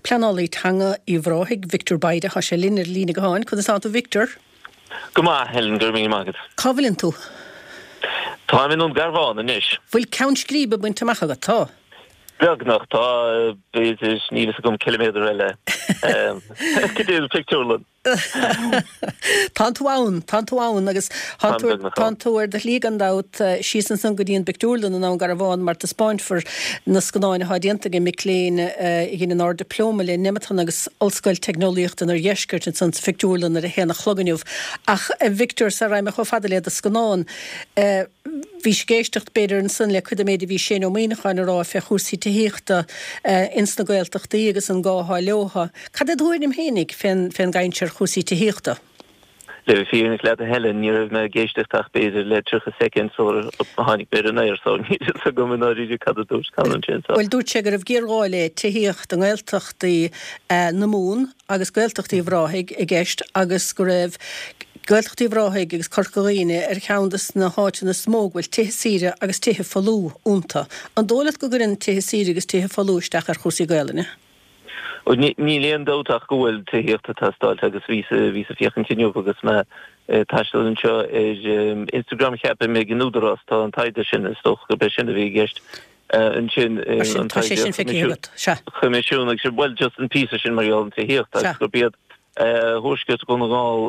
Pleanálaí Teanga Uíbh Ráthaigh, Victor Bayda, tá sé linn ar an líne gutháin. Conas tánn tú Victor? Go maith, Helen, go raibh míle maith agat. Cá bhfuileann tú? Táim i nDún Garbhán anois. Bhfuil ceann scríbe bainte amach agat? Tá. Beagnach, tá, b'fhéidir, níl fhios agam, ciliméadar eile go dtí an phictiúrlann. Tánn tú ann, tánn tú ann agus tánn tú, tánn tú ar do shlí gan dabht síos ansan go dtí an bpictiúrlann i nDún Garbhán mar taispeáinfear na scannáin atá déanta ag mic léinn a dhein an Ard-Dioplóma le Nemeton agus Ollscoil Teicneolaíochta an Oirdheiscirt ansan sa phictiúrlann ar a haon a chlog inniu. Ach a Victor, sara raghaidh mé chomh fada le do scannán, bhís ag éisteacht b'fhéidir ansan le cuid den méid a bhí Shane Ó Muíneacháin a rá fé chúrsaí tithíochta ins na Gaeltachtaí agus an gá atá leotha. Cad é do thuairim fhéinig fén gcaint ar chúrsaí tithíochta? Le bheith fírinneach leat a Helen, ní raibh mé ag éisteacht ach b'fhéidir le 30 soicind sular tháinig mé ar an aer so níl fhios agam i ndáiríre cad a dúirt Conor ansin so. Bhuel dúirt sé go raibh géarghá le tithíocht i nGaeltachtaí na Mumhan agus Gaeltacht Uíbh Ráthaigh i gceist agus go raibh Gaeltacht Uíbh Ráthaigh agus Corca Dhuibhne ar cheann de na háiteanna is mó go bhfuil tithe saoire agus tithe folmha iontu. An dóigh leat go gcuireann tithe saoire agus tithe folmha isteach ar chúrsaí Gaelainne? Níl aon dabht ach go bhfuil tithíocht ag teastáilt agus bhíos ag féachaint inniu agus mé ag taisteal anseo ar Instagram cheapfainn ag an Údarás tá an taighde sin, is dócha gurb é sin a bhí i gceist ansin, an taighde Choimisiún agus bhuel just an píosa sin mar gheall ar an tithíocht agus gurb iad Thuaisceart Dhún na nGall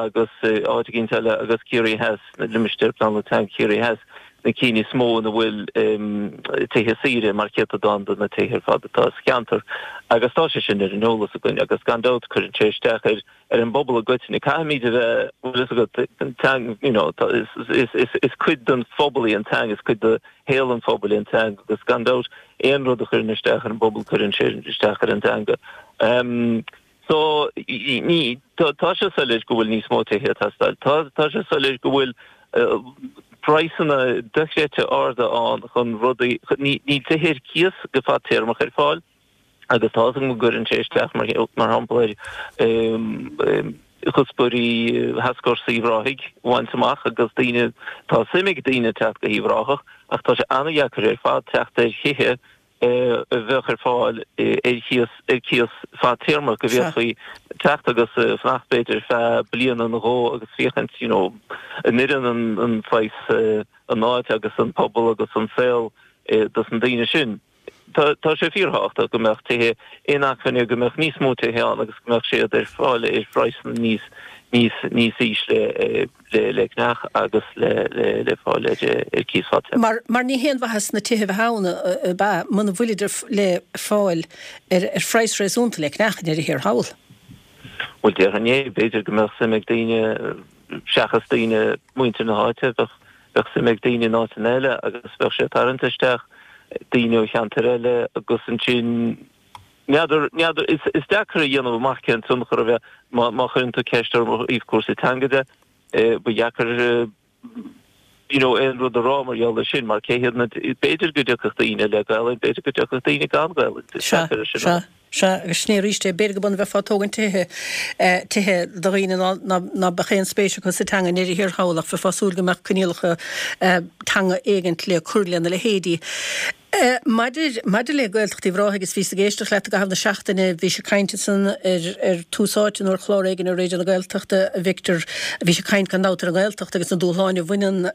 agus áit eicínt eile agus Ciarraí Theas, limistéar pleanála teanga Chiarraí Theas, na cinn is mó ina bhfuil tithe saoire mar chéatadán de na tithe ar fad atá sa cheantar. Agus tá sé sin ar an eolas againn agus gan dabht cuireann sé isteach ar ar an bpobal i gcoitinne. Caithfimid a bheith, bhfuil fhios agat, an teanga, you know, is, is, is, is cuid den phobal í an teanga, is cuid de shaol an phobail í an teanga agus gan dabht aon rud a chuireann isteach ar an bpobal cuireann sé isteach ar an teanga. So, ní, tá sé soiléir go bhfuil níos mó tithe ag teastáil. Tá, tá sé soiléir go bhfuil praghsanna dochreidte arda ann chun rudaí, ní, níl tithe ar cíos go fadtéarmach ar fáil agus tá fhios agam go gcuireann sé isteach mar, mar shampla ar chuspóirí Thascfhórsa Uíbh Ráthaigh a bhaint amach agus daoine, tá suim ag daoine teacht go hUíbh Ráthach ach tá sé an-dheacair ar fad teacht ar thithe a bheadh ar fáil ar chíos, ar cíos fadtéarmach, go bhféadfaí teacht agus fanacht b'fhéidir ar feadh bliana nó dhó agus féachaint you know an oireann an, an saghas, an áit agus an pobal agus an saol dos na daoine sin. Tá, tá sé fíorthábhachtach go mbeadh tithe inacmhainne, go mbeadh níos mó tithe ann agus go mbeadh siad ar fáil ar phraghsanna níos, níos, níos ísle. le ceannach agus le fáil ar cíos fadtéarmach. Mar, mar ní haon mhaitheas na tithe a bheith ann, ab ea, muna bhfuilid le fáil ar phraghas réasúnta le ceannach i ndeireadh thiar thall. Bhuel, déarfainn é. B'fhéidir go mbeadh suim ag daoine, seachas daoine, muintir na háite, bheadh, bheadh suim ag daoine in áiteanna eile agus bheadh sé ag tarraingt isteach daoine ó cheantair eile agus ansin, N'fheadar, n'fheadar, is, is deacair a dhéanamh amach cén tionchar a bheadh má, má chuireann tú ceist orm ó thaobh cúrsaí teanga de, ba dheacair you know aon rud a rá mar gheall air sin mar cé hiad na, b'fhéidir go dtiocfadh daoine le Gaelainn, b'fhéidir go dtiocfadh daoine gan Gaelainn, is Sea, deacair é sin a rá. sea, sea, agus sin é arís é, b'fhéidir go b'ionann bheifeá ag tógaint tithe, tithe do dhaoine ná, ná, ná beadh aon spéis acu sa teanga i ndeireadh thiar thall ach bheifeá ag súil go mbeadh coinníollacha teanga éigint le cur lena leithéidí. Maidir, maidir le Gaeltacht Uíbh Ráthaigh, agus bhíos ag éisteacht leat i gcaitheamh na seachtaine, bhís ag caint ansan ar, ar Tús Áite nó ar chlár éigin ar Raidió na Gaeltachta, a Victor, bhís ag caint gan dabht ar an nGaeltacht agus na dúshláin a bhaineann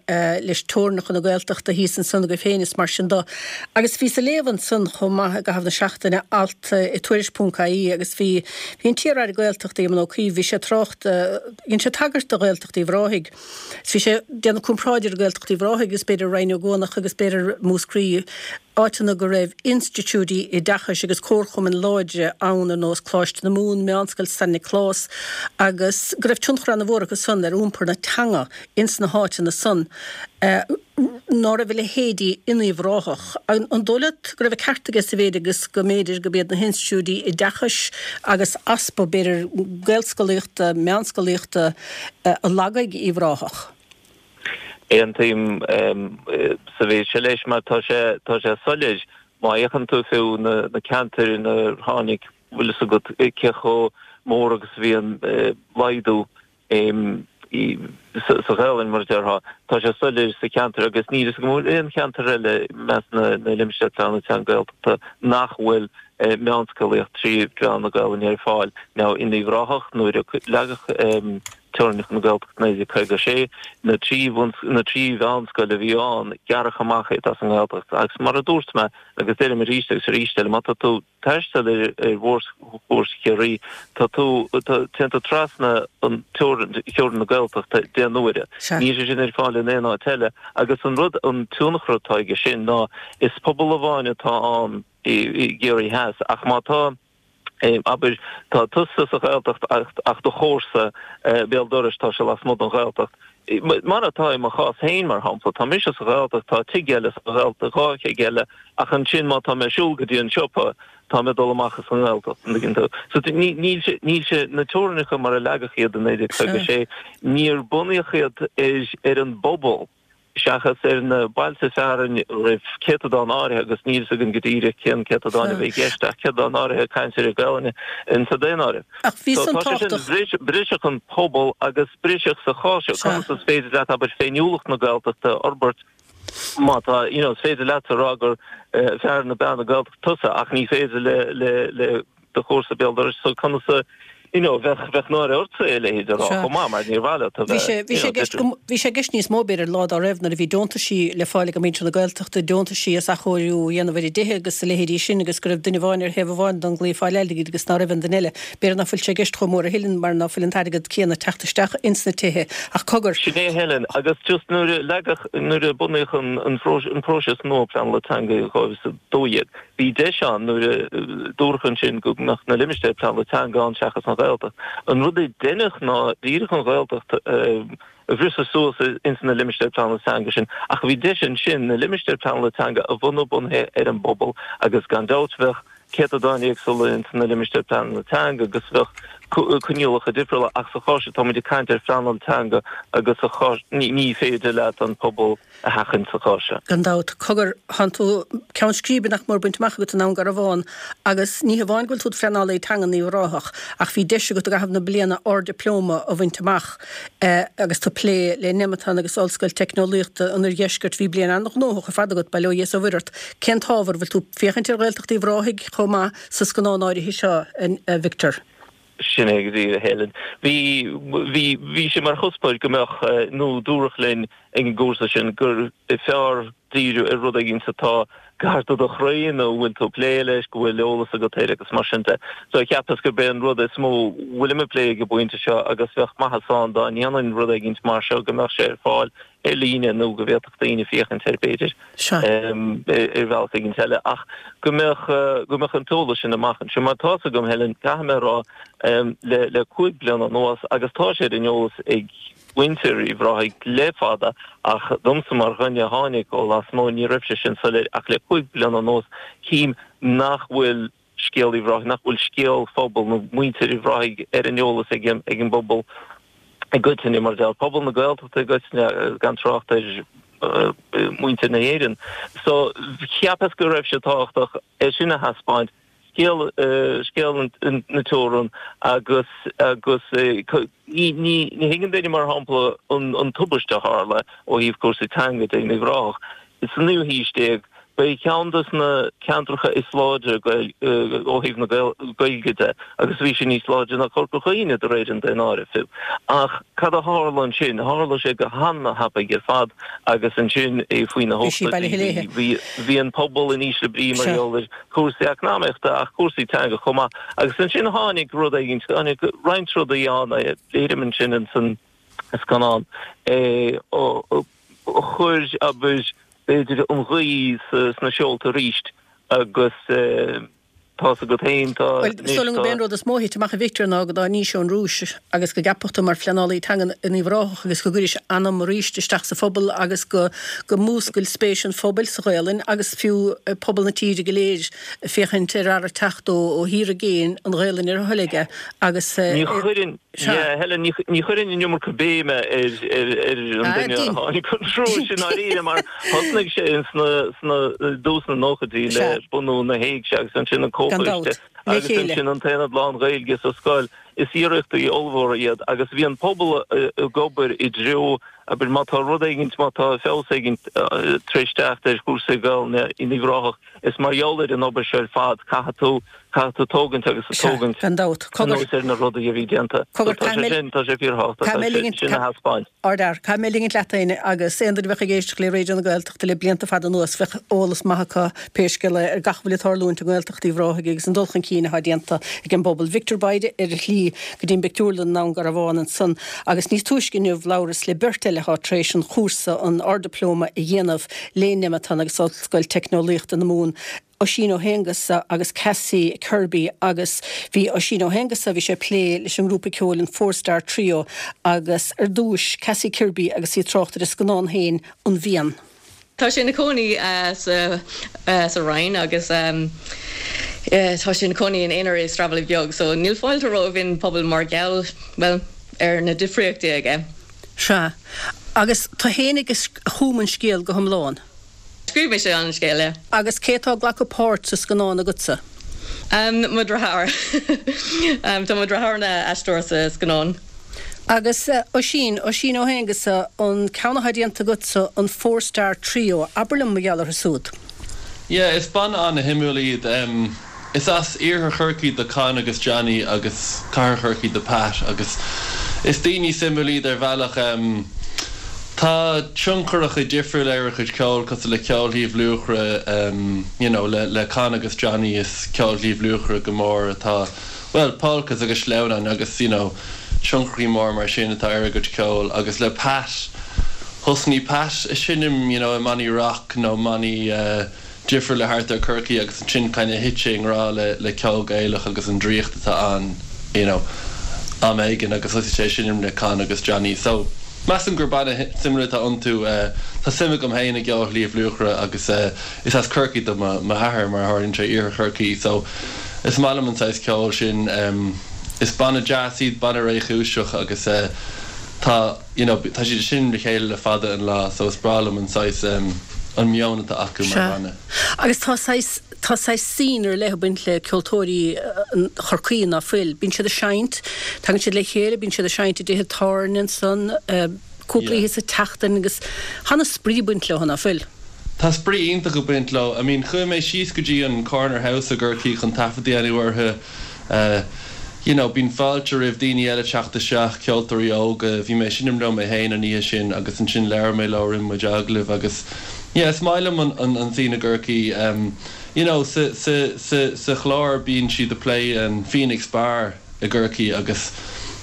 leis teorainneacha na Gaeltachta thíos ansan agaibh féin is mar sin do. Agus bhíos ag léamh ansan chomh maith i gcaitheamh na seachtaine alt i Tuairisc ponc ie agus bhí, bhí an t-iar-aire Gaeltachta Éamon Ó Cuív, bhí sé ag trácht, dhein sé tagairt do Ghaeltacht Uíbh Ráthaigh. Is bhí sé ag déanamh comparáid idir Gaeltacht Uíbh Ráthaigh agus b'fhéidir Rinn Ó gCuanach agus b'fhéidir Múscraí, áiteanna go raibh institiúidí oideachais agus comharchumainn láidre ann ar nós Coláiste na Mumhan, Meánscoil San Nioclás agus go raibh tionchar ana-mhór acu san ar iompar na teanga ins na háiteanna san. Ná raibh a leithéidí in Uíbh Ráthach. An dóigh leat go raibh an ceart aige sa mhéid agus go mb'fhéidir gurb iad na hinstitiúidí oideachais agus easpa, b'fhéidir, gaelscolaíochta, meánscolaíochta a lagaigh Uíbh Ráthach? Aontaím sa mhéid seo leis mar tá sé, tá sé soiléir má fhéachann tú fiú na ceantair inar tháinig, bhfuil fhios agat cé chomh mór agus a bhí an laghdú. Sa Ghaelainn, mar a déarfá, tá sé soiléir sa cheantar agus níl fhios agam an bhfuil aon cheantar eile i measc na limistéar pleanála teanga Gaeltachta nach bhfuil meánscolaíocht 3 mheán na Gaelainne ar fáil. Now in Uíbh Ráthach nuair a leagadh teorainneacha na Gaeltachta 1956, na 3 na 3 mheánscoil a bhí ann, gearradh amach iad as an nGaeltacht agus mar a dúirt mé agus deirim arís agus arís eile, má tá tú taisteal ar mhórchúrsa Chiarraí, tá tú, téann tú trasna an teorainn, theorainn na Gaeltachta deich n-uaire. Níl sé sin ar fáil in aon áit eile. Agus an rud, an tionchar atá aige sin ná is pobal amháin atá ann i gCiarraí Theas ach má tá, abair, tá tusa sa Ghaeltacht ach do chomharsa béal dorais, tá sé lasmuigh den Ghaeltacht. Mar atá i mo chás féin, mar shampla, tá mise sa Ghaeltacht, tá tigh eile sa Ghaeltacht, dhá thigh eile, ach ansin má tá mé ag siúl go dtí an siopa, tá mé ag dul amach as an nGaeltacht, an dtuigeann tú? So níl sé, níl sé, na teorainneacha mar a leagadh iad i 1956, níor bunaíodh iad ar, ar an bpobal seachas ar na bailte fearainn a raibh céatadán áirithe, agus níl fhios againn go díreach cén céatadán a bhí i gceist, ach céatadán áirithe cainteoirí Gaelainne insa daonáireamh. Ach bhí san tábhachtach. Briseadh an pobal agus briseadh sa chás seo. Conas is féidir leat, abair, féiniúlacht na Gaeltachta a fhorbairt má tá, you know, is féidir leatsa a rá gur fear nó bean na Gaeltachta tusa ach ní féidir le, le, le do chomharsa béal dorais. So conas a, you know, bheadh, bheadh náire ortsa a leithéid a rá chomh maith mar níor mhaith leat a bheith, you know, different. Bhí sé i gceist níos mó b'fhéidir an lá dá raibh nuair a bhí deontaisí le fáil ag muintir na Gaeltachta, deontaisí as athchóiriú a dhéanamh ar a dtithe agus a leithéidí sin agus go raibh duine amháin ar thaobh amháin den gclaí ag fáil airgid agus ná raibh an duine eile. B'fhéidir ná fuil sé i gceist chomh mór a thuilleadh mar ná fuil an t-airgead céanna ag teacht isteach ins na tithe. Ach cogar. Sin é Helen, agus just nuair a leagadh, nuair a bunaíodh an, an próiseas nua pleanála teanga i 2012, Bhí deis ann nuair a dúradh ansin go mbeadh na limistéir pleanála teanga ann seachas an Ghaeltacht. An rud a deineadh ná díreach an Ghaeltacht a bhriseadh suas ins na limistéir pleanála teanga sin ach bhí deis ansin na limistéir pleanála teanga a bhunú bunaithe ar an bpobal agus gan dabht bheadh céatadáin éagsúla ins na limistéir pleanála teanga agus bheadh coinníollacha difriúla ach sa chás seo táimid ag caint ar phleanáil teanga agus sa chás ní féidir leat an pobal a sheachaint sa chás seo. Gan dabht. Cogar, thánn tú ceann scríbe nach mór bainte amach agat i nDún Garbhán agus ní hamháin go bhfuil tú id phleanálaí teanga in Uíbh Ráthach ach bhí deis agat i gcaitheamh na bliana Ard-Dioplóma a bhaint amach agus tú ag plé le Nemeton agus Ollscoil Teicneolaíochta an Oirdheiscirt. Bhí bliain an-ghnóthach ar fad agat, bail ó Dhia is ó Mhuire ort. Cén t-ábhar? Bhfuil tú ag féachaint ar Ghaeltacht Uíbh Ráthaigh chomh maith sa scannán áirithe seo, a Victor? Sin é go díreach, a Helen. Bhí, bhí, bhí sé mar chuspóir go mbeadh, nó dúradh linn ag an gcúrsa sin gur fearr díriú ar rud éigin atá gar do do chroí nó a bhfuil tú ag plé leis, go bhfuil eolas agat air agus mar sin de. So cheapas gurb é an rud is mó a bhfuilim ag plé ag an bpointe seo agus bheadh maitheas ann dá ndéanfainn rud éigin mar seo go mbeadh sé ar fáil ar líne nó go bhféadfadh daoine féachaint air b'fhéidir ar bhealach éigin eile ach go mbeadh go mbeadh an t-eolas sin amach anseo mar tá's agam Helen caithfidh mé a rá le le 5 bliana anuas agus tá sé ar an eolas ag muintir Uíbh Ráthaigh le fada ach domsa mar dhuine a tháinig ó lasmuigh ní raibh sé sin soiléir ach le 5 bliana anuas tchím nach bhfuil scéal Uíbh Ráthaigh, nach bhfuil scéal phobal nó muintir Uíbh Ráthaigh ar an eolas ag an bpobal i gcoitinne, mar a déarfá, pobal na Gaeltachta i gcoitinne, gan trácht ar mhuintir na hÉireann. So, cheapas go raibh sé tábhachtach é sin a thaispeáint, scéal, scéal na teorann agus, agus ní, ní, ní thuigeann duine, mar shampla, an tubaiste a tharla ó thaobh cúrsaí teanga de in Uíbh Ráthach. Sa naoú haois déag, ba é ceann de na ceantracha is láidre ó thaobh na Gaeilge de agus bhí sé níos láidre ná Corca Dhuibhne de réir an daonáirimh fiú. Ach cad a tharla ansin? Tharla sé go han-thapaidh ar fad agus ansin faoi na hochtóidí bhí an pobal in ísle brí mar gheall ar chúrsaí eacnamaíochta ach cúrsaí teanga chomh maith. Agus ansin tháinig rud éigin, tháinig roinnt rudaí ann, léirim ansin ins an scannán a chuir, abair, b'fhéidir an ghaoth sna seolta arís agus tá's agat féin, tá Bhuel, is dóigh liom gurb é an rud is mó a thit amach a Victor ná go dtáinís ón Rúis agus go gceapadh tú mar phleanálaí teanga in Uíbh Ráthach agus go gcuiris anam arís isteach sa phobal agus go go múscail spéis an phobail sa Ghaelainn agus fiú pobal na tíre go léir féachaint ar fhear ag teacht ó ó thír i gcéin an Ghaelainn ar a thoil aige agus Ní chuireann Yeah, Helen, ní chuirfinn an iomarca béime ar an duine a tháinig ón Rúis i ndáiríre mar thosnaigh sé sna, sna, dtús na nóchaidí le bunú na hÉigse agus ansin an Comhchoiste. Agus ansin an t-aonad lán-Ghaeilge sa scoil. Is iarrachtaí ollmhóra iad agus bhí an pobal ag obair i dtreo, abair, má tá rud éigint, má tá feabhas éigint tar éis teacht ar chúrsaí Gaelainne in Uíbh Ráthach, is mar gheall ar an obair seo ar fad. Caithfidh tú, caithfidh tú tógaint agus Sea, tógaint gan dabht. Cogar, anuas ar na rudaí a bhí déanta. cogar, So tá caithfidh sé mé, sin, tá sé fíorthábhachtach caithfidh mé ligint, sin a thaispeáint. Ardfhear. Caithfidh mé ligint leat, Éanna, agus aon duine a bheadh ag éisteacht le Raidió na Gaeltachta le blianta fada anuas, bheadh eolas maith acu, pé scéal é, ar gach a bhfuil ag tarlúint i nGaeltacht Uíbh Ráthaigh agus an dul chun cinn atá déanta ag an bpobal. Victor Bayda ar a shlí go dtí an bpictiúrlann i nDún Garbhán ansan agus níos túisce inniu labhras le beirt eile atá tar éis an chúrsa, an Ard-Dioplóma a dhéanamh le Nemeton agus Ollscoil Teicneolaíochta na Mumhan. Oisín Ó hAonghusa agus Cassie Kirby agus bhí Oisín Ó hAonghusa, bhí sé ag plé leis an ngrúpa ceoil an Four Star Trio agus ar dtúis Cassie Kirby agus í ag trácht ar a scannán féin An Mhian. Tá sé ina chónaí sa Rinn agus tá sé ina chónaí ina aonar i Sraithbhaile Beag so níl fáilte romhainn an pobal mar gheall, bhuel, ar na difríochtaí aige. Sea. Agus tú fhéinig a chum an scéal go hiomlán? Scríobh mise an scéal, yeah. Agus cé atá ag glacadh páirt sa scannán agatsa? Mo dheartháir. Tá mo dheartháir ina aisteoir sa scannán. Agus Oisín, Oisín Ó hAonghusa, an ceann atá déanta agatsa, an Four Star Trio, abair liom mar gheall orthu súd. Yeah, is banna an-shuimiúil iad. Is as iarthar Chorcaí do Con agus Johnny agus cathair Chorcaí do Pat agus is daoine suimiúil iad ar bhealach. Tá tioncharacha difriúla ar a chuid ceoil cosúil le ceol Shliabh Luachra you know le le Con agus Johnny is ceol Shliabh Luachra go mór atá bhuel polcas agus sleamhnáin agus you know tioncharaí mór mar sin atá ar a gcuid ceoil agus le Pat thosnaigh Pat a seinm you know i mbannaí rock nó mbannaí eh difriúla thart ar Corcaigh agus ansin kind of thit sé i ngrá le le ceol Gaelach agus an draíocht atá ann you know am éigin agus thosaigh sé ag seinm le Con agus Johnny so measaim gur banna suimiúil atá iontu tá suim agam féin i gceol Shliabh Luachra agus is as Corcaigh do mo m'athair mar a tharlaíonn sé iarthar Chorcaí so is maith liom an saghas ceoil sin is banna deas iad banna réchúiseach agus tá you know, tá siad ag seinm le chéile le fada an lá so is breá liom an saghas, an meon atá acu mar Sea. bhanna. Agus tá saghas, tá saghas scene ar leith ag baint le ceoltóirí Chorcaí, ná fuil? Bíonn siad ag seinnt, tagann siad le chéile, bíonn siad ag seinnt i dtithe tábhairne ansan, cúpla Yeah. oíche sa tseachtain agus tá ana-spraoi ag baint leo, ná fuil? Tá spraoi iontach ag baint leo. I mean, chuaigh mé síos go dtí an Corner House i gCorcaigh chun taifead a dhéanamh orthu. You know, bíonn fáilte roimh daoine eile teacht isteach, ceoltóirí óga. Bhí mé ag seinm leo mé féin an oíche sin agus ansin labhair mé leo, rinne muid agallamh agus yeah, is maith liom an, an, an scene i gCorcaigh. Em, you know, sa, sa, sa, sa chlár bíonn siad ag plé an Phoenix Bar i gCorcaigh agus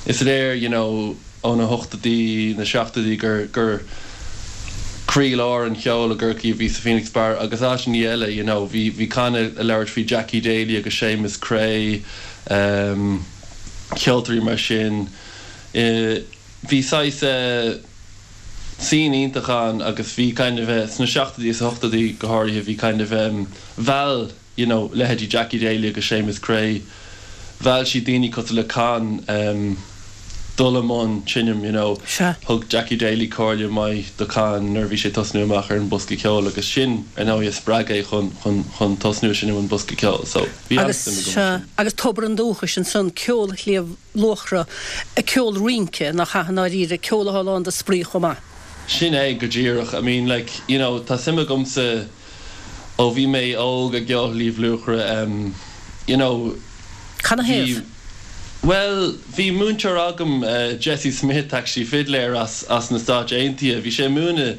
is léir, you know, ó na hochtóidí, na seachtóidí gur, gur croílár an cheoil i gCorcaigh a bhí sa Phoenix Bar agus áiteanna eile, you know, bhí, bhí Con ag labhairt faoi Jackie Daly agus Séamus Creagh, ehm, ceoltóirí mar sin. Eh, bhí saghas eh, scene iontach ann agus bhí kind of eh, sna seachtóidí is ochtóidí go háirithe, bhí kind of em, mheall, you know, leithéidí Jackie Daly agus Séamus Creagh, mheall siad daoine cosúil le Con em dul i mbun seinm, you know. Sea. Thug Jackie Daly comhairle maith do Con nuair a bhí sé ag tosnú amach ar an bosca ceoil agus sin, ar ndóigh, a spreag é chun, chun, chun tosnú ag seinm an bosca ceoil. So, bhí Agus, an-suim agam sea, ansin. agus tobar an dúchais ansan, ceol Shliabh Luachra, ceol rince, nach ea, i ndáiríre, ceol atá lán de spraoi chomh maith. Sin é go díreach. I mean, like, you know, tá suim agamsa ó bhí mé óg i gceol Shliabh Luachra, em, you know, Cad 'na bhí, thaobh? bhuel, bhí múinteoir agam, eh, Jesse Smith, actually, fidléir as, as na Stáit Aontaithe, bhí sé ag múineadh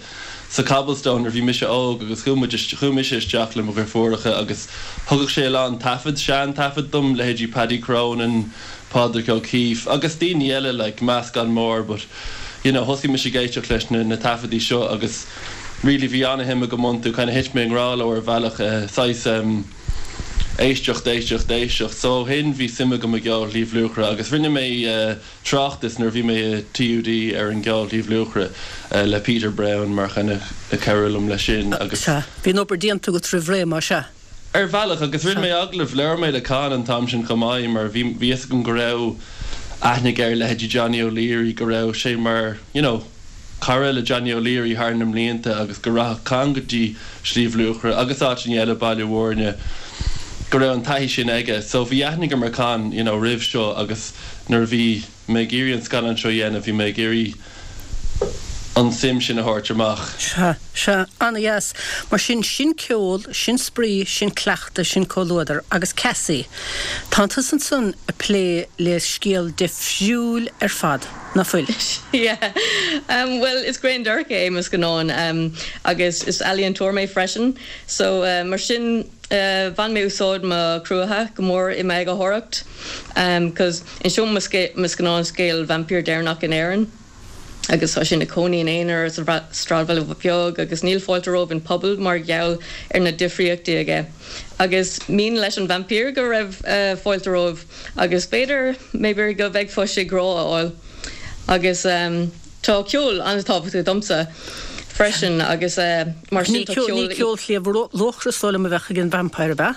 sa Cobblestone nuair a bhí mise óg agus chuaigh muid, chuaigh mise isteach le mo dheirfiúracha agus thugadh sé a lán taifead, sean-taifead dom, leithéidí Paddy Cronin, Pádraig O'Keeffe agus daoine eile, like, meascán mór but, you know, thosaigh mise ag éisteacht leis na, na taifeadaí seo agus, really bhí ana-shuim agam iontu, kind of thit mé i ngrá leo ar bhealach, saghas em éisteacht, éisteacht, éisteacht. So ó shin bhí suim agam i gceol Shliabh Luachra agus rinne mé tráchtas nuair a bhí mé i TUD ar an gceol Shliabh Luachra le Peter Browne mar kind of ag cabhrú liom leis sin agus. Sea, bhí an obair déanta agat roimh ré, más ea. Ar bhealach, agus rinne mé agallamh, labhair mé le Con an t-am sin chomh maith mar bhí bhí fhios agam go raibh aithne aige ar leithéidí Johnny O'Leary, go raibh sé mar, you know, cara le Johnny O'Leary thar na mblianta agus go rachadh Con go dtí Sliabh Luachra agus áiteanna eile, Baile Mhúirne. go raibh an taithí sin aige. So bhí aithne agam ar Con, you know, roimh seo agus nuair a bhí mé ag iarraidh an scannán seo a dhéanamh bhí mé ag iarraidh an suim sin a thabhairt amach. Sea, sea, an-dheas. Mar sin, sin ceol, sin spraoi, sin cleachtadh, sin comhluadar. Agus Cassie, tánn tusa ansan ag plé le scéal difriúil ar fad, ná fuil? Yeah. Bhuel, is grinndearcadh é mo scannán agus is ealaíontóir mé freisin. So, mar sin, bhain mé úsáid mo cruacha go mór i m'eagarthóireacht 'cause inseoidh mo scannán scéal vaimpír deireanach in Éirinn agus tá sé ina cónaí in aonar sa sráidbhaile beag agus níl fáilte romhaibh in pobal mar gheall ar na difríochtaí aige. Agus mian leis an vaimpír go raibh fáilte romhaibh agus b'fhéidir, maybe go bhfeicfeadh sé grá a fháil agus. Tá ceol an-tábhachtach domsa freisin agus mar sin tá ceol. Ní ceol Shliabh Luachra is dóigh liom a bheadh ag an vampire, ab ea?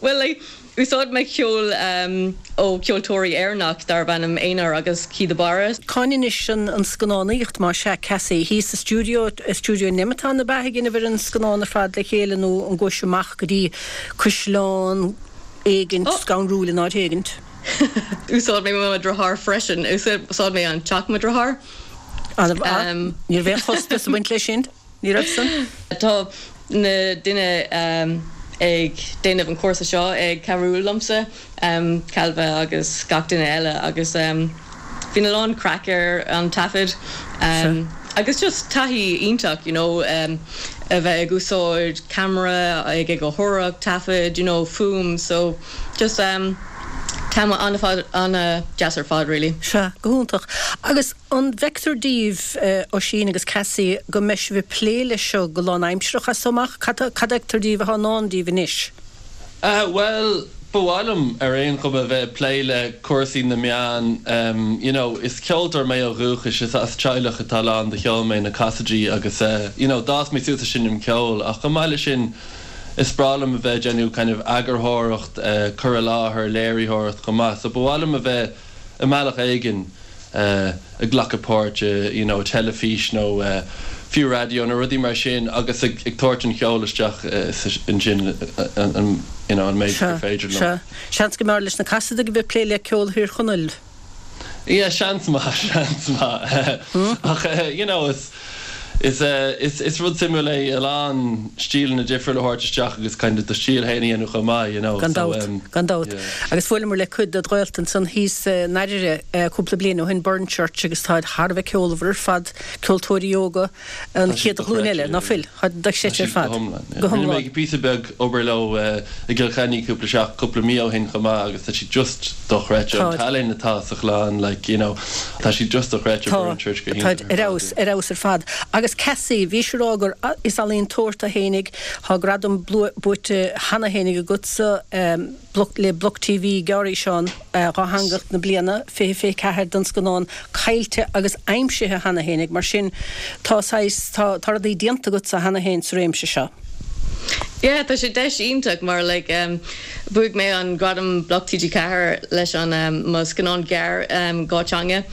Bhuel, like, úsáid mé ceol ó ceoltóirí Éireannach darb ainm Einar agus Keith de Barra. Cá bhfuil anois an scannánaíocht, más ea, Cassie? Thíos sa stiúideo, i stiúideo Nemeton ab ea ag déanamh ar an scannán ar fad le chéile nó an gcuais amach go dtí caisleán éigint scanrúil in áit éigint? Úsáid mé mo dheartháir freisin. Úsáid mé an teach mo dheartháir. Ní raibh aon chostas ag baint leis sin? Ní raibh san? Tá na duine ag déanamh an cúrsa seo ag cabhrú liomsa, Cailbhe agus gach duine eile agus bhíonn a lán craic ar an taifead agus just taithí iontach you know a bheith ag úsáid ceamara, ag eagarthóireacht, taifead, you know fuaim so just t-am an-deas ar fad really. Sea, go hiontach. Agus an bhfeictear daoibh, Oisín agus Cassie, go mbeidh sibh ag plé leis seo go lánaimsearach as so amach? Cad a fheictear daoibh atá i ndán daoibh anois? Bhuel, ba mhaith liom ar aon chuma bheith ag plé le cúrsaí na meán. You know, is ceoltóir mé ó dhúchas, is as teaghlach atá lán de cheol mé, na Cassadys, agus you know, d'fhás mé suas ag seinm ceoil ach chomh maith leis sin, Is breá liom a bheith ag déanamh kind of eagarthóireacht, cur i láthair, léiritheoireacht chomh maith. So ba mhaith liom a bheith i mbealach éigin ag glacadh páirt i you know teilifís nó fiú raidió nó rudaí mar sin agus ag tabhairt an cheoil isteach ansin you know an méid gur féidir liom. Sea, seans go mb'fhearr leis na Casaidigh a bheith ag plé le ceol Thír Chonaill. Yeah, seans maith, seans maith. Ach you know, is, is, is, is rud suimiúil é a lán stíleanna difriúla a thabhairt isteach agus kind of do stíl féin a dhéanamh chomh maith, you know. Gan dabht, gan dabht. Yeah. Agus bhuaileamar le cuid ded ghaolta ansan thíos in Oirire cúpla bliain ó shin, Burnchurch, agus táid thar a bheith ceolmhar ar fad, ceoltóirí óga. An chéad ghlúin eile, ná fuil? Tá dochreidte ar fad. Go hiomlán. Go hiomlán. Rinne mé píosa beag obair leo i gCill Chainnigh cúpla seach, cúpla mí ó shin chomh maith agus tá siad just dochreidte. An tallann atá sa chlann, like, you know, tá siad just dochreidte. Tá, táid ar fheabhas, ar fheabhas ar fad. Agus Cassie, bhís ag rá gur, is ealaíontóir tú fhéinig, tá gradam buaite cheana fhéinig agatsa, Bloc le Bloc TV, Gearrfhíseán Dhátheangach na bliana 2024 don scannán Caillte agus Aimsithe cheana fhéinig, mar sin tá saghas, tá, tá rudaí déanta agatsa cheana féin sa réimse seo. Yeah, tá sé deis iontach mar like bhuaigh mé an gradam Bloc TG4 leis an mo scannán gearr 2 teanga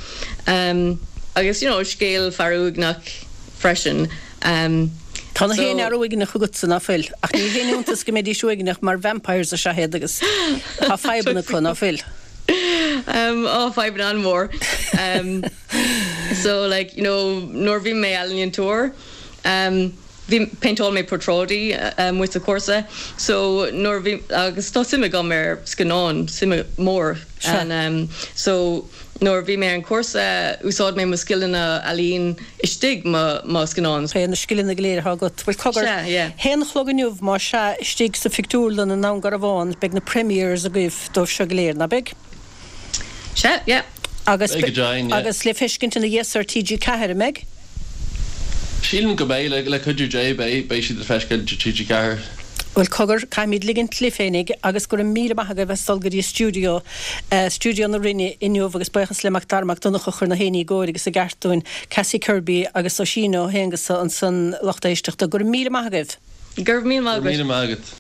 agus you know scéal fear uaigneach freisin. Tá na haon fhear uaigneach agatsa, ná fuil? Ach ní haon iontas go mbeidís uaigneach mar vampires is ea iad agus tá fadhbanna acu, ná fuil? Á, fadhbanna an-mhór. So like, you know, nuair bhí mé ealaíontóir, bhí, péinteáil mé portráidí amuigh sa chúrsa. So nuair bhí, agus tá suim agam ar scannáin, suim mór. And so Nuair a bhí mé ar an cúrsa, úsáid mé mo scileanna ealaín istigh mo mo scannán. Pé na scileanna go léir atá agat. Bhuel, cogar, Sea, yeah. haon a chlog inniu, más ea, istigh sa phictiúrlann i nDún Garbhán, beidh na premieres agaibh dóibh seo go léir, ná beidh? Sea, yeah. Agus, Beidh go deimhin, yeah. agus le feiscint ina dhiaidh so ar TG4, an mbeidh? Sílim go mbeidh, le cuidiú Dé, beidh, beidh siad le feiscint ar TG4. Bhuel, cogar, caithfimid ligint libh féinig agus go raibh míle maith agaibh as dul go dtí stiúideo, stiúideo na Rinne inniu agus buíochas le Mac Dara Mac Donncha a chuir na héinní i gcóir agus i gceart dúinn, Cassie Kirby agus Oisín Ó hAonghusa ansan, lucht éisteachta. Go raibh míle maith agaibh. Go raibh míle maith agat. Go raibh míle maith agat.